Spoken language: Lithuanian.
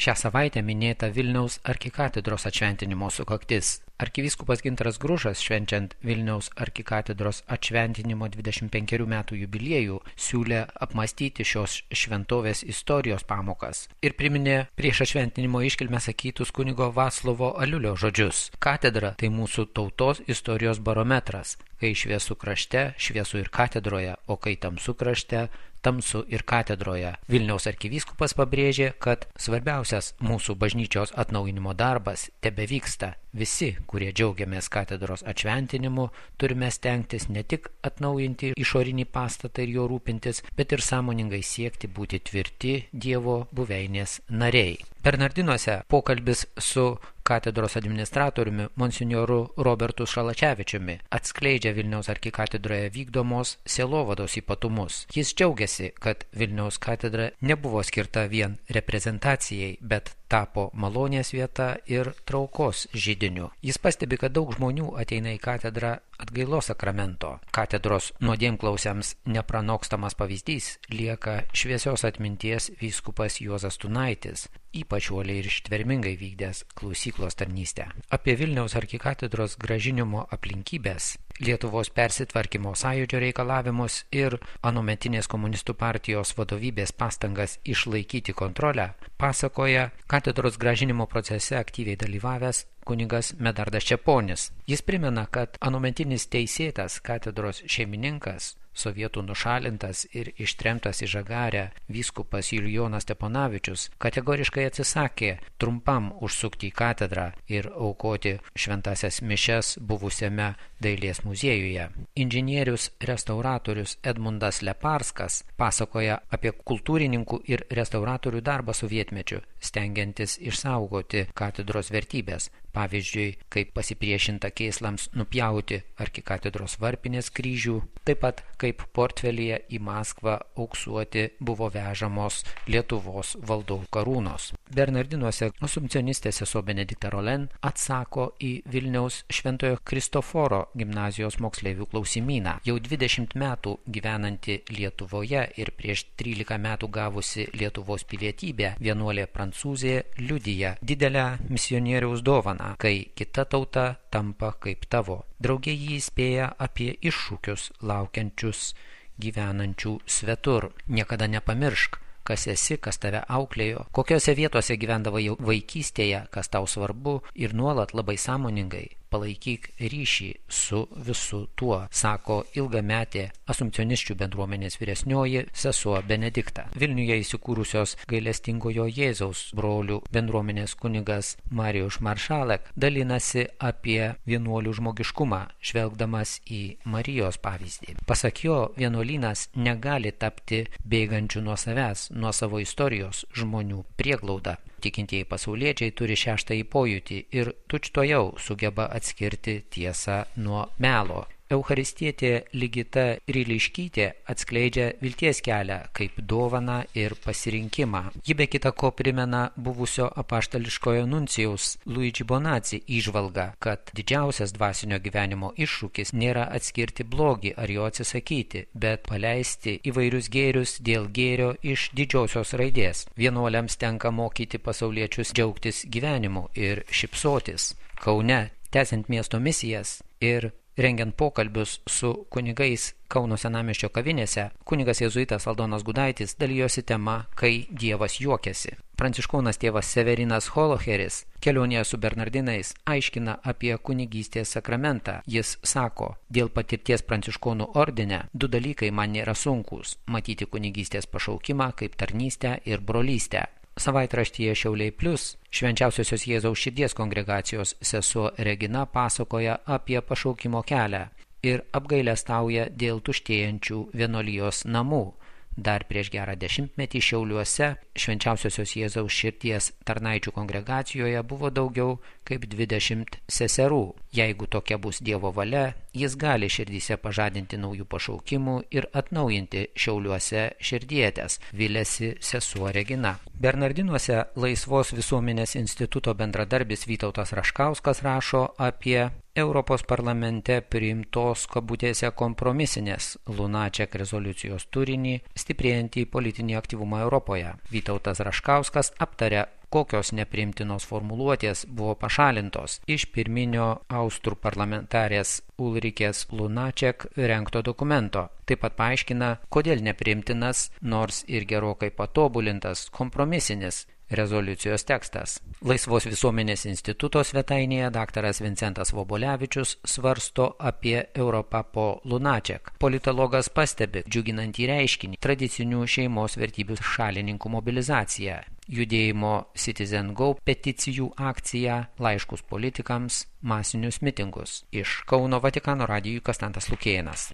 Šią savaitę minėta Vilniaus arkikatedros atšventinimo sukaktis. Arkivyskupas Gintaras Grušas, švenčiant Vilniaus arkikatedros atšventinimo 25 metų jubiliejų, siūlė apmąstyti šios šventovės istorijos pamokas ir priminė prieš atšventinimo iškilmę sakytus kunigo Vaclovo Aliulio žodžius. Katedra tai mūsų tautos istorijos barometras, kai šviesų krašte, šviesų ir katedroje, o kai tamsu krašte, tamsu ir katedroje. Vilniaus arkivyskupas pabrėžė, kad svarbiausias mūsų bažnyčios atnaujinimo darbas tebevyksta. Visi, kurie džiaugiamės katedros atšventinimu, turime stengtis ne tik atnaujinti išorinį pastatą ir jo rūpintis, bet ir sąmoningai siekti būti tvirti Dievo buveinės nariai. Bernardinuose pokalbis su katedros administratoriumi monsinjoru Robertu Šalačevičiumi atskleidžia Vilniaus arkikatedroje vykdomos sielovados ypatumus. Jis džiaugiasi, kad Vilniaus katedra nebuvo skirta vien reprezentacijai, bet tapo malonės vieta ir traukos židiniu. Jis pastebi, kad daug žmonių ateina į katedrą atgailos sakramento. Katedros nuodėmklausiams nepranokstamas pavyzdys lieka šviesios atminties vyskupas Juozas Tunaitis, ypač uoliai ir ištvermingai vykdęs klausyklos tarnystę. Apie Vilniaus arkikatedros grąžinimo aplinkybės, Lietuvos persitvarkymo sąjūdžio reikalavimus ir anuometinės komunistų partijos vadovybės pastangas išlaikyti kontrolę pasakoja katedros grąžinimo procese aktyviai dalyvavęs kunigas Medardas Čeponis. Jis primena, kad anuometinis teisėtas katedros šeimininkas, sovietų nušalintas ir ištremtas į Žagarę vyskupas Julijonas Steponavičius kategoriškai atsisakė trumpam užsukti į katedrą ir aukoti šventasias mišias buvusiame dailės muziejuje. Inžinierius restauratorius Edmundas Leparskas pasakoja apie kultūrininkų ir restauratorių darbą sovietmečiu, stengiantis išsaugoti katedros vertybės. Pavyzdžiui, kaip pasipriešinta kėslams nupjauti arkikatedros varpinės kryžių, taip pat kaip portfelyje į Maskvą auksuoti buvo vežamos Lietuvos valdovų karūnos. Bernardinuose asumpcionistė sesuo Benedikta Rolen atsako į Vilniaus Šventojo Kristoforo gimnazijos moksleivių klausimyną. Jau 20 metų gyvenanti Lietuvoje ir prieš 13 metų gavusi Lietuvos pilietybę vienuolė prancūzė liudija didelę misionieriaus dovaną, kai kita tauta tampa kaip tavo. Drauge jį įspėja apie iššūkius laukiančius gyvenančių svetur. Niekada nepamiršk, kas esi, kas tave auklėjo, kokiose vietose gyvendavai vaikystėje, kas tau svarbu ir nuolat labai sąmoningai palaikyk ryšį su visu tuo, sako ilgametė asumpcionisčių bendruomenės vyresnioji sesuo Benedikta. Vilniuje įsikūrusios gailestingojo Jėzaus brolių bendruomenės kunigas Marijus Maršalek dalinasi apie vienuolių žmogiškumą, žvelgdamas į Marijos pavyzdį. Pasak jo, vienuolynas negali tapti bėgančių nuo savęs, nuo savo istorijos žmonių prieglauda. Tikintieji pasauliečiai turi šeštąjį pojūtį ir tučtuojau sugeba atskirti tiesą nuo melo. Eucharistietė Ligita Ryliškytė atskleidžia vilties kelią kaip dovaną ir pasirinkimą. Ji be kita ko primena buvusio apaštališkojo nuncijaus Luigi Bonazzi įžvalgą, kad didžiausias dvasinio gyvenimo iššūkis nėra atskirti blogį ar jo atsisakyti, bet paleisti įvairius gėrius dėl gėrio iš didžiosios raidės. Vienuoliams tenka mokyti pasauliečius džiaugtis gyvenimu ir šypsotis. Kaune, tęsiant miesto misijas ir rengiant pokalbius su kunigais Kauno senamiesčio kavinėse, kunigas jėzuitas Aldonas Gudaitis dalijosi tema, kai Dievas juokiasi. Pranciškonas tėvas Severinas Holoheris kelionėje su Bernardinais aiškina apie kunigystės sakramentą. Jis sako, dėl patirties pranciškonų ordine 2 dalykai man nėra sunkūs – matyti kunigystės pašaukimą kaip tarnystę ir brolystę. Savaitraštyje Šiauliai Plius Švenčiausiosios Jėzaus širdies kongregacijos sesuo Regina pasakoja apie pašaukimo kelią ir apgailestauja dėl tuštėjančių vienuolijos namų. Dar prieš gerą 10-metį Šiauliuose Švenčiausiosios Jėzaus širdies tarnaičių kongregacijoje buvo daugiau kaip 20 seserų. Jeigu tokia bus Dievo valia, jis gali širdyse pažadinti naujų pašaukimų ir atnaujinti Šiauliuose širdietes, viliasi sesuo Regina. Bernardinuose Laisvos visuomenės instituto bendradarbis Vytautas Raškauskas rašo apie Europos parlamente priimtos kabutėse kompromisinės Lunaček rezoliucijos turinį, stiprėjantį politinį aktyvumą Europoje. Vytautas Raškauskas aptarė kokios nepriimtinos formuluotės buvo pašalintos iš pirminio austrų parlamentarės Ulrikės Lunaček rengto dokumento. Taip pat paaiškina, kodėl nepriimtinas, nors ir gerokai patobulintas kompromisinis rezoliucijos tekstas. Laisvos visuomenės instituto svetainėje daktaras Vincentas Vobolevičius svarsto apie Europą po Lunaček. Politologas pastebi džiuginantį reiškinį tradicinių šeimos vertybių šalininkų mobilizaciją, judėjimo Citizen Go peticijų akciją, laiškus politikams, masinius mitingus. Iš Kauno Vatikano radijui Konstantas Lukėnas.